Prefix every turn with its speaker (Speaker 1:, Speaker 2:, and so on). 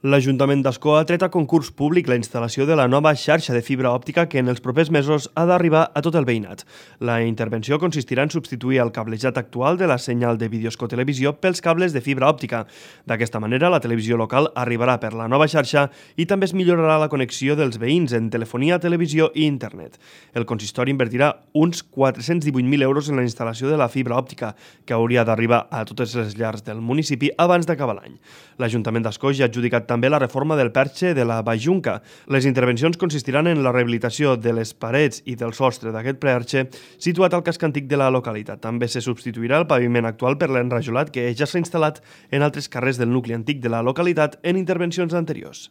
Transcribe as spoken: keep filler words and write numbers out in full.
Speaker 1: L'Ajuntament d'Ascó ha tret a concurs públic la instal·lació de la nova xarxa de fibra òptica que en els propers mesos ha d'arribar a tot el veïnat. La intervenció consistirà en substituir el cablejat actual de la senyal de videoscotelevisió pels cables de fibra òptica. D'aquesta manera, la televisió local arribarà per la nova xarxa i també es millorarà la connexió dels veïns en telefonia, televisió i internet. El consistori invertirà uns quatre-cents divuit mil euros en la instal·lació de la fibra òptica, que hauria d'arribar a totes les llars del municipi abans d'acabar l'any. L'Ajuntament d'Ascó ja ha adjudicat també la reforma del perxe de la Bajunca. Les intervencions consistiran en la rehabilitació de les parets i del sostre d'aquest perxe situat al casc antic de la localitat. També se substituirà el paviment actual per l'enrajolat que ja s'ha instal·lat en altres carrers del nucli antic de la localitat en intervencions anteriors.